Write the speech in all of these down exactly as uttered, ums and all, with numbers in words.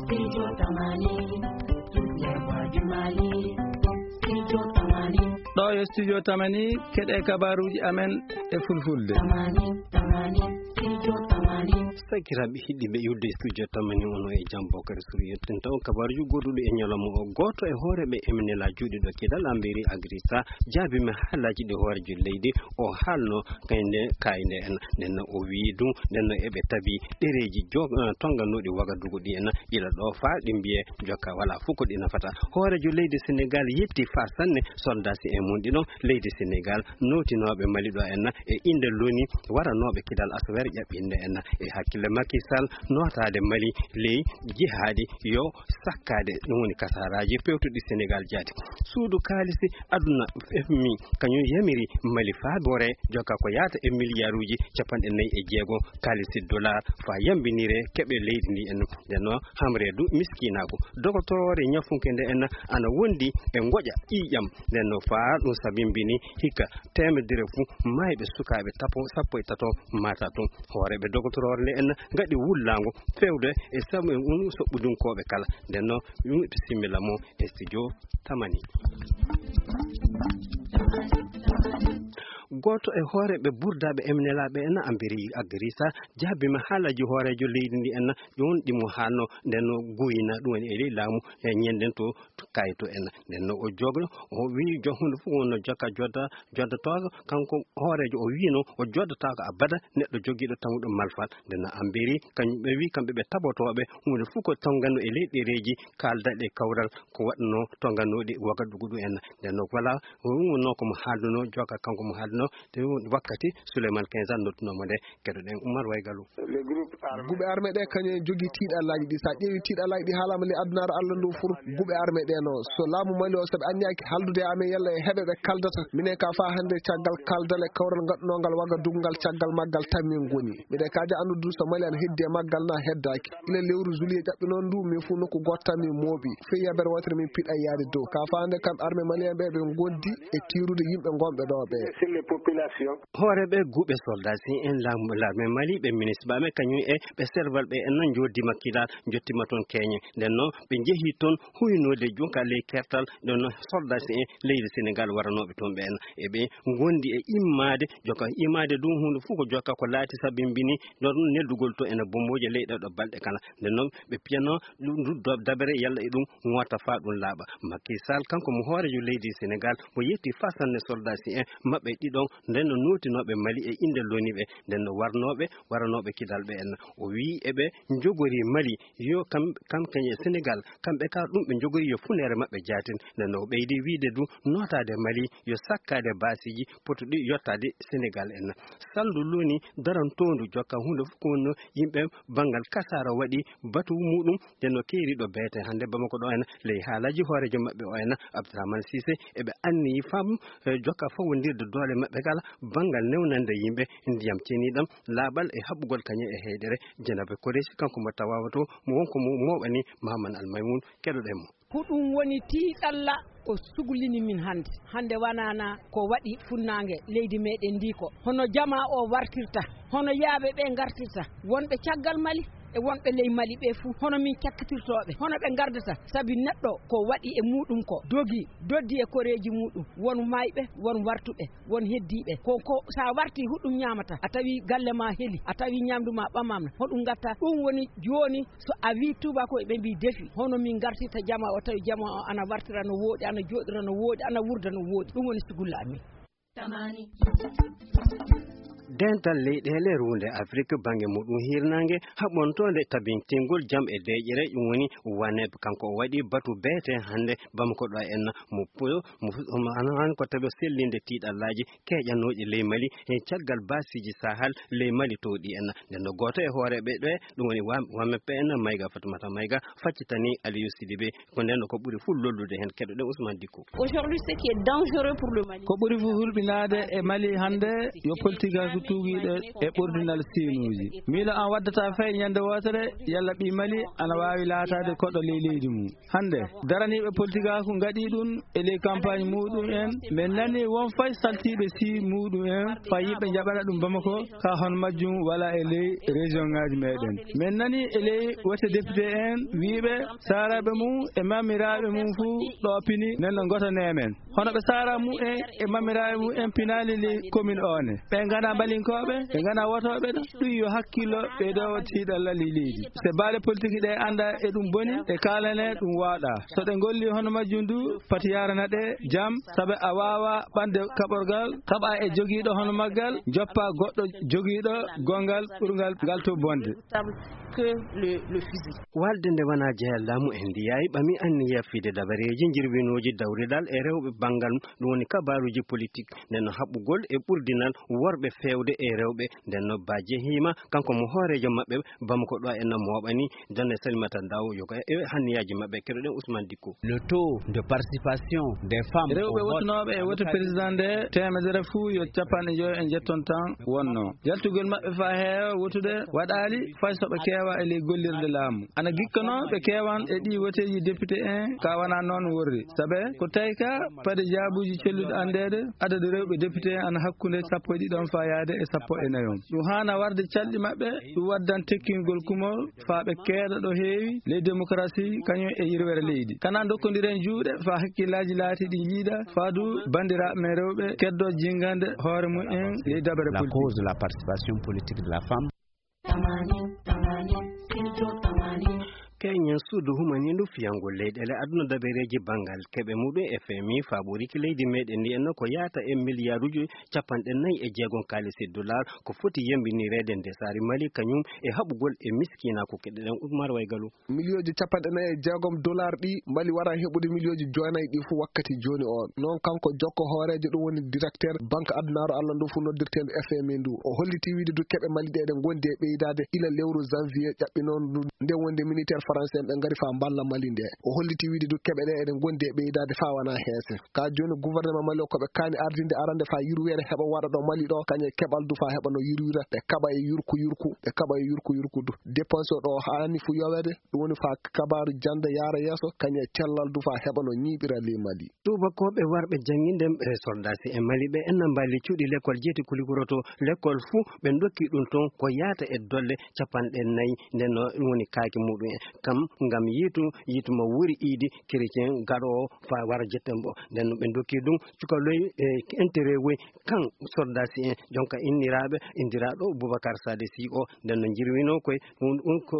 Studio Tamani, toutes les voix du Mali. Studio Tamani. Ɗo yo Studio Tamani, keɗe kabaruuji amen e fulfulde. Tamani, Tamani, Studio Tamani. Sakiraaɓe hiɗɗiiɓe yudde Studio Tamani, ono e jam Bokari Suru yettinta on kabaruuji goɗɗuɗi e ñalawma o. Gooto e hooreeɓe M N L A juuɗiiɗo kidal Ambiri Agrisa jaabiima haalaaji ɗi hooreejo leydi o haalno kayde, kayde en. Nden o wii ɗum, nden eɓe tabi ɗereeji jo-, eh, tonnganoɗi Wagadugu ɗi en, ila ɗo faa ɗi mbiye jokka wala fof ko ɗi nafata. Hooreejo leydi Senegal yetti faa sanne soldasi e mum ɗiɗon leydi Senegal, nootinooɓe Mali ɗo en e innde loni waranooɓe kidal asawere ƴaɓɓinde en. E hakkille Macky Sall nootaade Mali ley jihaadi yo sakkaade, ɗum woni kasaraaji pewtuɗi Senegal jaati. Suudu kaalisi aduna F M I kañum yamiri Mali faa boore jokka ko yaata e miliyaaruuji cappanɗe nayi e jeego kaalisi dollar faa yambinire keɓe leydi ndi en. Nden noon hamreedu miskinaaku. Dogotoroore ñafunke nde en ana wondi e ngoƴa ƴiiƴam. Nden noon faa ɗum sabimbini hikka teemedere fuu maayɓe sukaaɓe tapo, sappo e tato maata toon. Hooreeɓe dogotoroore nde en ngaɗi wullaango fewde e sabu e un soɓɓudinkooɓe kala. Nden noon yimɓe simmila mo e studio Tamani. Gooto e hooreeɓe burdaaɓe M N L A ɓe en Ambiri Agrisa jaabiima haalaaji hooreejo leydi ndi en, ƴoon ɗi mo haalno nden no guyna ɗum woni e ley laamu e ñennden to, to kayto en. Nden no o jogo, o wii jo huunde fof wonno jokka jodda, joddotooɗo, kanko hooreejo o wiino o joddataako abada neɗɗo jogiiɗo tamuɗo malfal. Nden no Ambiri, kañum ɓe wii kamɓe ɓe tabotooɓe huunde fof ko tonngano e ley ɗereeji kaaldaɗe kawral ko waɗno tonnganoɗi Wagadugu ɗum en. Nden no wala, ɗum wonno ko mo haalduno, jokka kanko mo haalduno, te wakkati Souleymane Kenza nodduno mo nde. Keɗoɗen Oumar Waygalu. Guɓe armé ɗe kañum en jogii tiiɗallaaji ɗi. So a ƴeewi tiiɗallaaji ɗi haalaama ley adunaaru Allah ndu fur, guɓe armé ɗe no. So laamu Mali o, so ɓe anniyaaki haaldude e amen yalla e heɓe ɓe kaaldata. Minen ka faa hannde caggal kaaldal e kawral ngaɗunongal Wagadugu ngal, caggal maggal tan min ngoni. Miɗen kaaja anndude so Mali ana heddi e maggal na heddaaki. Ila lewru juillet ƴaɓɓi noon ndu, min fof nokku gooto tan min mooɓi. Fii yabere wootere min piɗa yaade dow. Ka faa hannde kam armé malien ɓe ɓe ngondi e tiirude yimɓe ngonɓe ɗo ɓe. Sur les populations. Hooreeɓe guɓe soldasi en laamu, l'armée Mali, ɓe ministre ɓe amen kañum e ɓe serval ɓe en nan njoddiima Kidal, njottiima toon keñe. Nden noon ɓe njehi toon huynoode jonka ley kertal, nden noon soldasi en leydi Senegal waranooɓe toon ɓe en. E ɓe ngondi e immaade, jokka immaade ɗum huunde fof ko jokka ko laati sabimbini ɗon neldugol to ene bombooje ley ɗe ɗo balɗe kala. Nden noon ɓe piyano ɗum, ɗum do-, dabere yalla e ɗum ŋoota faa ɗum laaɓa. Macky Sall, kanko mo hooreejo leydi Senegal, mo yetti faa sanne soldasi en maɓɓe ɗiɗon, nden no nootinooɓe Mali e innde loni ɓe, nden no warnooɓe, waranooɓe Kidal ɓe en. O wii eɓe njogori Mali, yo kam, kam kañe Senegal, kamɓe ka ɗum ɓe njogori yo funeere maɓɓe jaatin. Nden no o ɓeydi wiide du nootaade Mali, yo sakkaade baasiiji potuɗi yottaade Senegal en. Salndu loni darantoondu jokka huunde fof ko wonno yimɓe banngal kasaara waɗi batu muɗum, nden no keeriɗo beete hannde Bamako ɗo en, ley haalaaji hooreejo maɓɓe o en, Abdourahmane Cissé, eɓe anniyi fam, eh, jokka fawondirde doole maɓɓe kala banngal newnande yimɓe ndiyam ceniɗam, laaɓal e haɓugol kañe e heydere. Jenabe Koreesi, kanko mo tawawa to, mo wonko mo mooɓani Mahaman Almaymun, keɗoɗen mo. Ko ɗum woni tiiɗalla ko suglini min hannde. Hannde wanaana ko waɗi funnaange leydi meɗen ndi ko. Hono jamaa o wartirta, hono yaaɓe ɓe ngartirta, wonɓe caggal Mali e wonɓe ley Mali ɓe fuu, hono min cakkitirtooɓe, hono ɓe ngardata, sabi neɗɗo ko waɗi e muɗum ko, dogi, doddi e koreeji muɗum, won mayɓe, won wartuɓe, won heddiiɓe. Ko, ko sa warti huɗum ñaamata, a tawi galle ma heli, a tawi ñamdu ma ɓamama, hoɗum ngatta. Ɗum woni jooni so a wi tubaako ɓe mbi defi, hono min ngartirta jama o, tawi jama o ana wartira no wooɗi, ana jooɗira no wooɗi, ana wurda no wooɗi. Ɗum woni sugulla amin. Dental leyɗeele ruunde Afrik bannge muɗum hirnaange haɓontoonde tabintingol jam e deeƴere, ɗum woni waneb, kanko o waɗi batu beete hannde Bamako ɗo en mo pu-, mo fu-, mo ano-, an ko tawi o sellinde tiiɗallaaji keeƴanooɗi ley Mali, e caggal baasiiji Sahel ley Mali towɗi en. Nden no gooto e hooreeɓe ɗo, ɗum woni wa-, waneb en, Mayga Fatumata Mayga, faccitani Aliou Sidibé. Ko nden ko ɓuri fof lollude heen, keɗoɗen Ousmane Dicko. Aujourd'hui, ce qui est dangereux pour le Mali. Ko ɓuri fof hulɓinaade e Mali hannde yo politique tuugiiɗo e ɓurdinal siinuuji. Miilo an waddata fay ñande wootere, yalla ɓii Mali ana waawi laataade koɗo ley leydi mum. Hannde, daraniiɓe politikaaku ngaɗii ɗum e ley campagne muɗum en. Min nani won fay saltiiɓe sii muɗum en, fay yimɓe njaɓana ɗum Bamako, ka hono majjum wala e ley région ŋaaji meɗen. Min nani e ley wote député en, wiiɓe saaraaɓe mum e mamiraaɓe mum fuu ɗo pini, nen no ngoto neemen. Hono ɓe saara mumen e mamiraaɓe mumen pinaali ley commune o ne. Ɓe ngana mbalinkooɓe, ɓe ngana wotooɓe ɗo. Ɗum yo hakkillo ɓeydo tiiɗalla ley leydi. Se baale politique ɗe annda e ɗum boni, e kaalane ɗum waaɗa. So ɗe ngolli hono majjum du, pati yarana ɗe jam, sabe a waawa ɓande kaɓorgal, kaɓa e jogiiɗo hono maggal, joppa goɗɗo jogiiɗo gongal ɓurgal ngal to bonde. Que le, le fusil. Walde nde wonaa jeyal laamu en ndiyaay ɓami anniya fide dabareeji jirwinooji dawridal e rewɓe banngal, ɗum woni kabaaruuji politik, nden no haɓɓugol e ɓurdinal worɓe feewde e rewɓe, nden no ba jehiima, kanko mo hooreejo maɓɓe, Bamako ɗo en no mooɓani, jonne Salimata Ndaw, yoga e hanniyaaji maɓɓe, keɗoɗen Ousmane Dikko. Le taux de participation des femmes au vote. Rewɓe wotunooɓe e woto président nde, teemedere fuu yo capanɗe njoyo e njetton tan wonno. Jaltugol maɓɓe faa heewa wotude waɗaali fay so ɓe keewa e ley gollirde laamu. Ana gikkanoo ɓe keewan e ɗii woteeji député en, ka wanaa noon worri. Sabe ko tawi ka paade jaabuuji celluɗi anndeede, adadu rewɓe député en ana hakkunde sappo e ɗiɗon faa yaade e sappo e nayon. Ɗum haana warde calɗi maɓɓe, ɗum waddan tekkingol kumol faa ɓe keeda ɗo heewi ley démocratie kañum e yirwere leydi. Kana dokkondiren juuɗe faa hakkillaaji laatii ɗi njiida, faa du banndiraaɓe men rewɓe keddoo jingande hoore mum en ley dabere politique. La cause de la participation politique de la femme. Keñen suudu humaniindu fiyangol leyɗeele aduna dabereeji banngal keɓe muɗum e F M I faaɓoriki leydi meɗen ndi enno ko yaata e miliyaaruuji capanɗe nayi e jeegom kaalisi dollar ko foti yembinireede ndesaari Mali kañum e haɓugol e miskiinaaku. Keɗoɗen Umar Waygalo. Miliyooji capanɗe nayi e jeegom dollar ɗi Mali wara heɓude miliyooji jeenayi ɗi fof wakkati jooni o. Noon kanko jokko hooreejo ɗum woni directeur banque adunaaru Allah ndu fof noddirteendu F M I ndu. O holliti wiide du keɓe Mali ɗe eɗen ngondi e ɓeydaade ila lewru janvier ƴaɓɓi noon ndu. Nde wonde militaire français en ɓe ngari faa mballa Mali nde. O holliti wiide du keɓe ɗe eɗen ngondi e ɓeydaade faa wanaa heese. Ka jooni gouvernement Mali o ko ɓe kaani ardinde arande faa yurweere heɓa waɗa ɗo Mali ɗo kañe keɓal du faa heɓa no yurwira ɓe kaɓa e yurku yurku, ɓe kaɓa e yurku yurku du. Dépense o ɗo haani fu yoweede, ɗum woni faa kabaaru jannde yaara yeeso, kañum e cellal du faa heɓa no ñiiɓira ley Mali. Tuubakooɓe warɓe jannginde e soldaasi e Mali ɓe enna mbaali cuuɗi lekkol jeeti kulikuroto lekkol fuu ɓe ndokki ɗum toon ko yaata e dolle capanɗe nayi, nden no ɗum woni kaaki muɗum en kam ngam yiitu, yiitu mo wuri iidi chrétien gaɗoowo faa wara jetten mbo. Nden no ɓe ndokki ɗum cukaloy e intérêt woy kan soldaasi en jonka inniraaɓe, inndiraaɗo Boubacar Sade Sy o, nden no njirwinoo koye ɗum, ɗum ko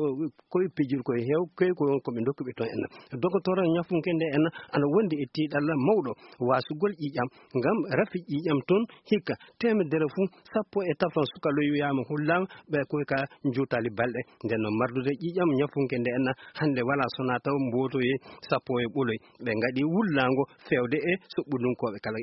koye pijirkoye heew koye ko won ko ɓe ndokkuɓe toon en. Dogotoro ñafunke nde en ana wondi e tiiɗalla mawɗo waasugol ƴiiƴam ngam rafi ƴiiƴam toon hikka teemedere fuu sappo e tafon sukaloy wiyaama hullaama ɓe koye ka njuutali balɗe. Nden no mardude ƴiiƴam ñafunke nde en hannde wala sonaa taw mbootoye sappo e ɓoloy ɓe ngaɗi wullaango feewde e soɓɓudunkooɓe kala.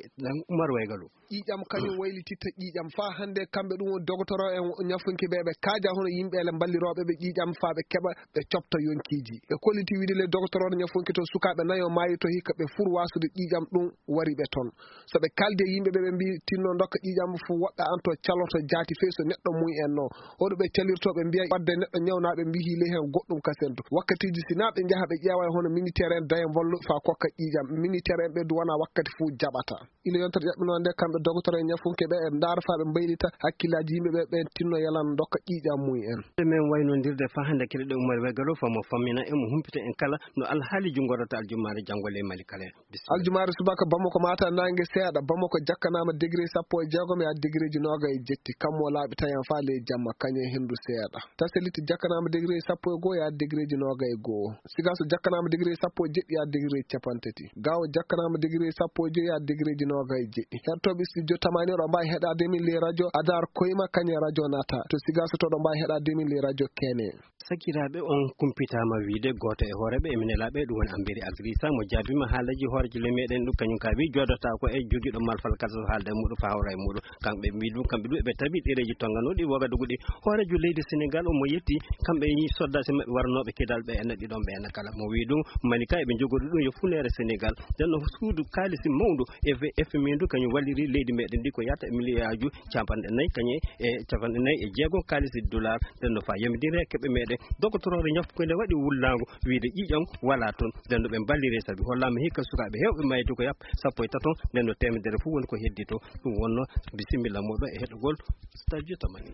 Umar Waygalo. Ƴiiƴam kañum waylititta ƴiiƴam. Faa hannde kamɓe ɗum woni dogotoro en ñafunke ɓe, ɓe kaaja hono yimɓe ele mballirooɓe ɓe ƴiiƴam faa ɓe keɓa ɓe coɓta yonkiiji. Ɓe kolliti wiide le dogotoro ñafunke to sukaaɓe nayo maayi to hikka ɓe fur waasude ƴiiƴam ɗum wari ɓe toon. So ɓe kaaldi e yimɓe ɓe, ɓe mbii tinno ndokka ƴiiƴam fof woɗɗa an to caloto jaati fey so neɗɗo mum en no. Hoɗo ɓe calirto ɓe mbiya wadde neɗɗo ñawnaaɓe mbihi ley heen goɗɗum kasen to. Wakkatiiji si naa ɓe njaha ɓe ƴeewa e hono militaire en daya mbollo faa kokka ƴiiƴam. Militaire en ɓe du wona wakkati fof jaɓata. Ina yontere ƴaɓɓinoo nde, kamɓe dogotoro e ñafunke ɓe, e ndaar faa ɓe mbaylita hakkillaaji yimɓe ɓe, ɓe tinno yalan ndokka ƴiiƴam mum en. E men waynondirde faa hannde keɗoɗen Umar Wegalo faa mo fammina e mo humpita en kala no alhaaliiji ngorata aljumaare janngo ley Mali kala. Bisimilla. Aljumaare subaka Bamako maata naange seeɗa. Bamako jakkanaama degré sappo e jeegom yaa degré ji noogay e jetti. Kammo laaɓi tayan faa ley jamma kañe henndu seeɗa. Tasaliti jakkanaama degré sappo e goo yaa degré ji noogay e goo. Sigaso jakkanaama degré sappo e jeɗɗi yaa degré ji capanɗe tati. Gaawo jakkanaama degré sappo e joy yaa degré ji noogay e jeɗɗi. Heɗotooɓe studio Tamani oɗo mbaawi heɗaade min ley radio Adar Koyma kañe radio Nata. To Sigaso to oɗo mbaawi heɗaade min ley radio Kene. Sakiraaɓe on kumpitaama wiide gooto e hooreeɓe e minelaaɓe ɗum woni Amberi Adrisa mo jaabiima haalaji hooreejo ley meɗen ɗum kañum ka wi joodotaako e jogiiɗo malfal kala so haalda e muɗum faa hawra e muɗum. Kamɓe mbii ɗum kamɓe ɗum eɓe tawi ɗereeji tonganooɗi wogadugu ɗi hooreejo leydi Senegal omo yetti kamɓe e soldaaji maɓɓe waranooɓe kidal. Ɓe enna ɗiɗon ɓe enna kala mo wii ɗum mani ka eɓe njogori ɗum yo funeere Senegal. Nden no suudu kaalisi mawndu e F M I ndu kañum walliri leydi meɗen ndi ko yata e miliyaaji capanɗe nayi kañe e capanɗe nayi e jeego kaalisi dollar. Nden no fa yamidire keɓe meɗen dogotoroore ñafko nde waɗi wullaango wiide ƴiƴam wala toon. Nden no ɓe mballire sabi hollaama hikka sukaaɓe heewɓe mayde ko yap sappo e taton. Nden no temedere fof woni ko heddito. Ɗum wonno bisimilla moɗo e heɗogol stadio tamani.